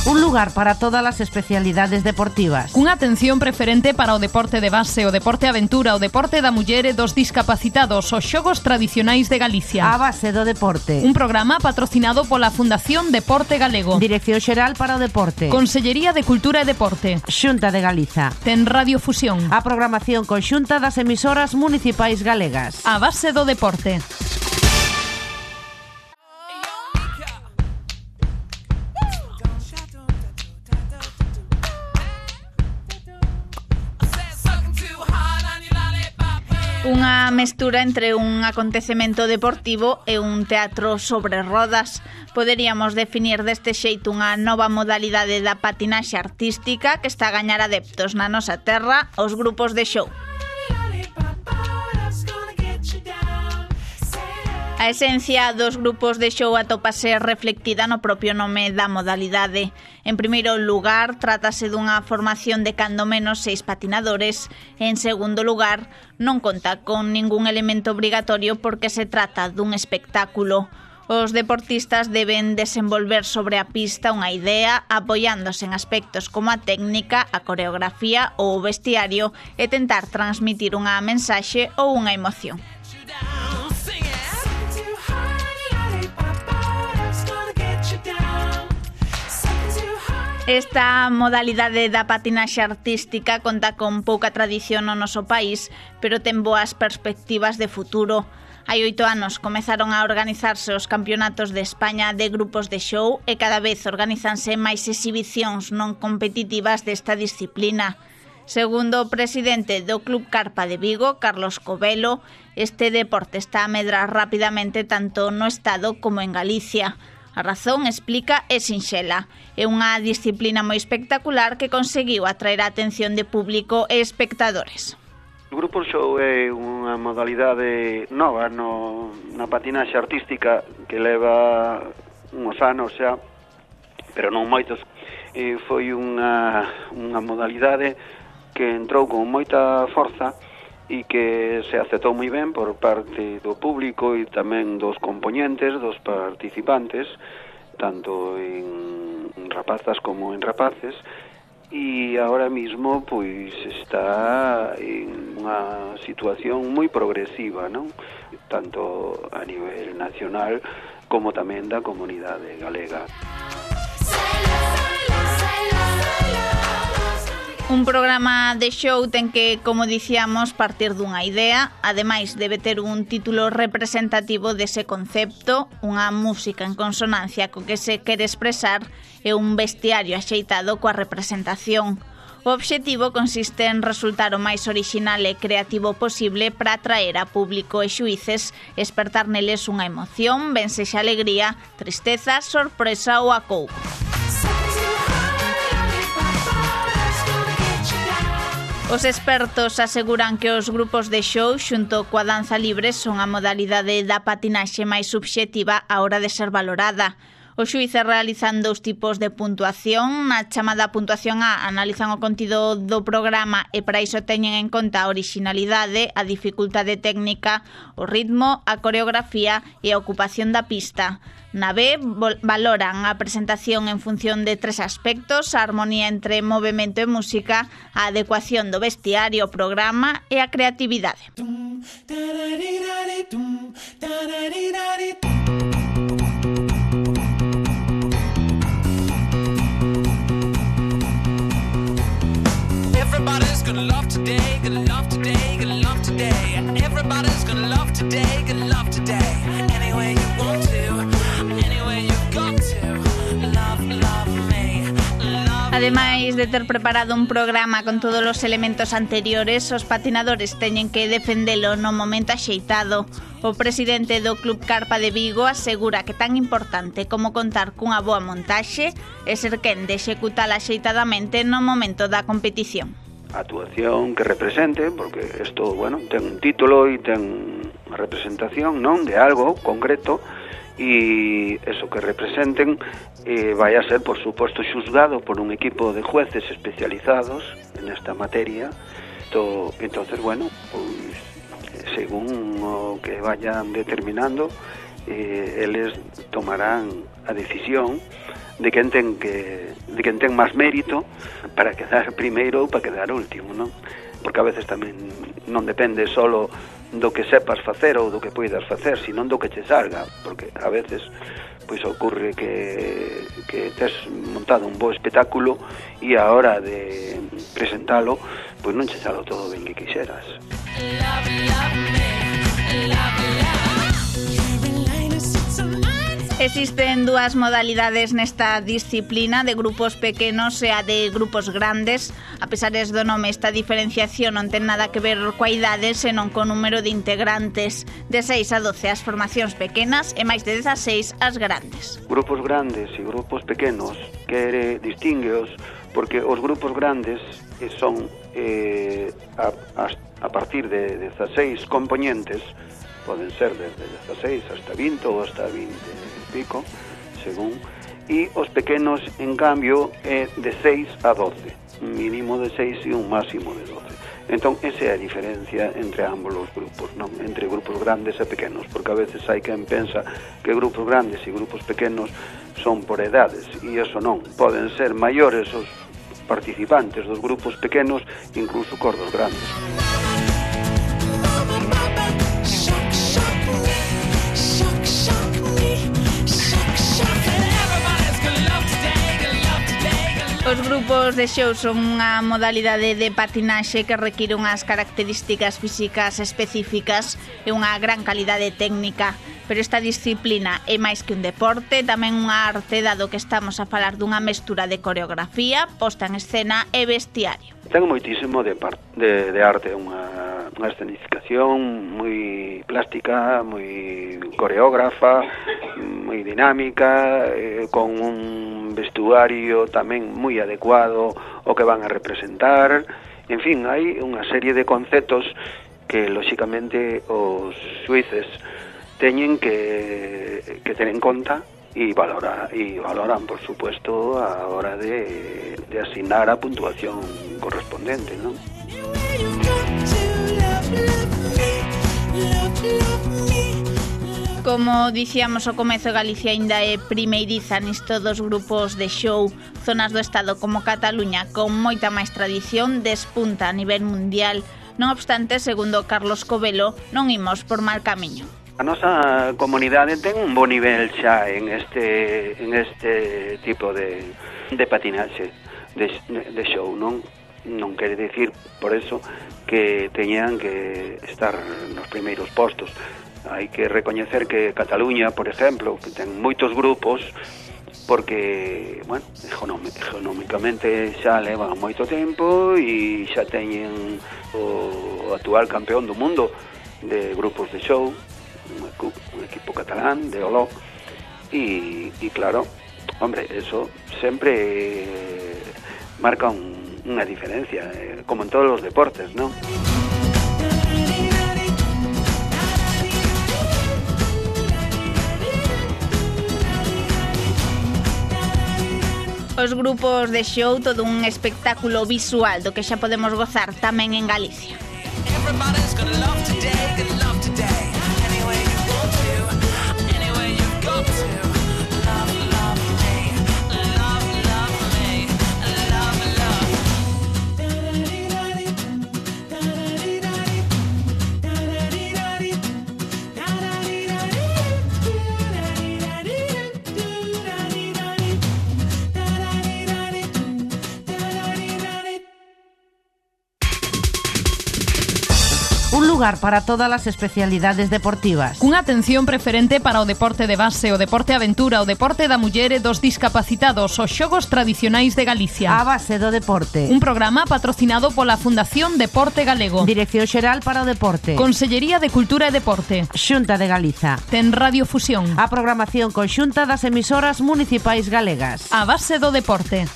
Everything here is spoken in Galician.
Un lugar para todas as especialidades deportivas. Cunha atención preferente para o deporte de base, o deporte aventura, o deporte da muller e dos discapacitados, os xogos tradicionais de Galicia. A base do deporte. Un programa patrocinado pola Fundación Deporte Galego. Dirección Xeral para o Deporte. Consellería de Cultura e Deporte. Xunta de Galiza. Ten Radio Fusión. A programación conxunta das emisoras municipais galegas. A base do deporte. Unha mestura entre un acontecemento deportivo e un teatro sobre rodas. Poderíamos definir deste xeito unha nova modalidade da patinaxe artística que está a gañar adeptos na nosa terra, os grupos de show. A esencia dos grupos de show atópase reflectida no propio nome da modalidade. En primeiro lugar, trátase dunha formación de cando menos 6 patinadores. En segundo lugar, non conta con ningún elemento obrigatorio porque se trata dun espectáculo. Os deportistas deben desenvolver sobre a pista unha idea apoiándose en aspectos como a técnica, a coreografía ou o vestiario e tentar transmitir unha mensaxe ou unha emoción. Esta modalidade da patinaxe artística conta con pouca tradición no noso país, pero ten boas perspectivas de futuro. Hai 8 anos comezaron a organizarse os campeonatos de España de grupos de show e cada vez organizanse máis exhibicións non competitivas desta disciplina. Segundo o presidente do Club Carpa de Vigo, Carlos Covelo, este deporte está a medrar rapidamente tanto no Estado como en Galicia. A razón, explica, é sinxela. É unha disciplina moi espectacular que conseguiu atraer a atención de público e espectadores. O grupo show é unha modalidade nova na patinaxe artística que leva uns anos xa, pero non moitos. Foi unha modalidade que entrou con moita forza e que se aceptou moi ben por parte do público e tamén dos compoñentes, dos participantes, tanto en rapazas como en rapaces, e agora mismo pois está en unha situación moi progresiva, non? Tanto a nivel nacional como tamén da comunidade galega. Un programa de show ten que, como dicíamos, partir dunha idea, ademais debe ter un título representativo dese concepto, unha música en consonancia co que se quere expresar e un vestiario axeitado coa representación. O obxectivo consiste en resultar o máis orixinal e creativo posible para atraer a público e xuíces, espertar neles unha emoción, ben sexa alegría, tristeza, sorpresa ou acougo. Os expertos aseguran que os grupos de show xunto coa danza libre son a modalidade da patinaxe máis subxectiva á hora de ser valorada. Os xuíces realizan 2 tipos de puntuación. Na chamada puntuación A analizan o contido do programa e para iso teñen en conta a orixinalidade, a dificultade técnica, o ritmo, a coreografía e a ocupación da pista. Na B valoran a presentación en función de 3 aspectos: a armonía entre movemento e música, a adecuación do vestiario, o programa e a creatividade. Everybody's gonna love today, gonna love today, gonna love today. Everybody's gonna love today, gonna love today. Any way you want to, any way you've got to. Love me, love. Ademais de ter preparado un programa con todos os elementos anteriores, os patinadores teñen que defendelo no momento axeitado. O presidente do Club Carpa de Vigo asegura que tan importante como contar cunha boa montaxe é ser quen de executala axeitadamente no momento da competición. A actuación que represente, porque isto, bueno, ten un título e ten unha representación, non, de algo concreto, e eso que representen vai a ser, por suposto, xuzgado por un equipo de jueces especializados en esta materia. Entonces, bueno, pues, según o que vayan determinando, eles tomarán a decisión de quen ten máis mérito para quedar primeiro ou para quedar último, non? Porque a veces tamén non depende solo do que sepas facer ou do que poidas facer, senón do que che salga, porque a veces pois ocurre que tes montado un bo espectáculo e a hora de presentalo pois non che salo todo ben que quixeras. Existen dúas modalidades nesta disciplina, de grupos pequenos e a de grupos grandes. A pesar do nome, esta diferenciación non ten nada que ver coa idade, senón co número de integrantes. De 6 a 12 as formacións pequenas e máis de 16 as grandes. Grupos grandes e grupos pequenos, quere distíngueos, porque os grupos grandes son a partir de 16 componentes, poden ser desde 16 hasta 20 ou hasta 20 e pico, según, e os pequenos, en cambio, é de 6 a 12, un mínimo de 6 e un máximo de 12. Entón, esa é a diferencia entre ambos os grupos, non? Entre grupos grandes e pequenos, porque a veces hai quen pensa que grupos grandes e grupos pequenos son por edades, e iso non, poden ser maiores os participantes dos grupos pequenos, incluso cos dos grandes. Os grupos de show son unha modalidade de patinaxe que require unhas características físicas específicas e unha gran calidade técnica, pero esta disciplina é máis que un deporte, tamén unha arte, dado que estamos a falar dunha mestura de coreografía, posta en escena e vestiario. Ten moitísimo de arte, unha escenificación moi plástica, moi coreógrafa, moi dinámica, con un vestuario tamén moi adecuado ao que van a representar. En fin, hai unha serie de conceptos que, lóxicamente, os xuíces teñen que ter en conta e valoran, por supuesto, a hora de asignar a puntuación correspondente, non? Como dicíamos ao comezo, Galicia aínda é primeiriza nisto dos grupos de show. Zonas do Estado como Cataluña, con moita máis tradición, despunta a nivel mundial. Non obstante, segundo Carlos Covelo, non imos por mal camiño. A nosa comunidade ten un bo nivel xa en este tipo de patinaxe, de show, non? Non quere dicir, por eso, que teñan que estar nos primeiros postos. Hai que recoñecer que Cataluña, por exemplo, que ten moitos grupos, porque, bueno, económicamente xa levan moito tempo e xa teñen o actual campeón do mundo de grupos de show, un equipo catalán de Oló, e claro, hombre, eso sempre marca unha diferencia, como en todos os deportes, ¿no? Os grupos de show, todo un espectáculo visual do que xa podemos gozar tamén en Galicia. Un lugar para todas as especialidades deportivas. Cunha atención preferente para o deporte de base, o deporte aventura, o deporte da muller e dos discapacitados, os xogos tradicionais de Galicia. A base do deporte. Un programa patrocinado pola Fundación Deporte Galego. Dirección Xeral para o Deporte. Consellería de Cultura e Deporte. Xunta de Galiza. Ten Radiofusión. A programación conxunta das emisoras municipais galegas. A base do deporte.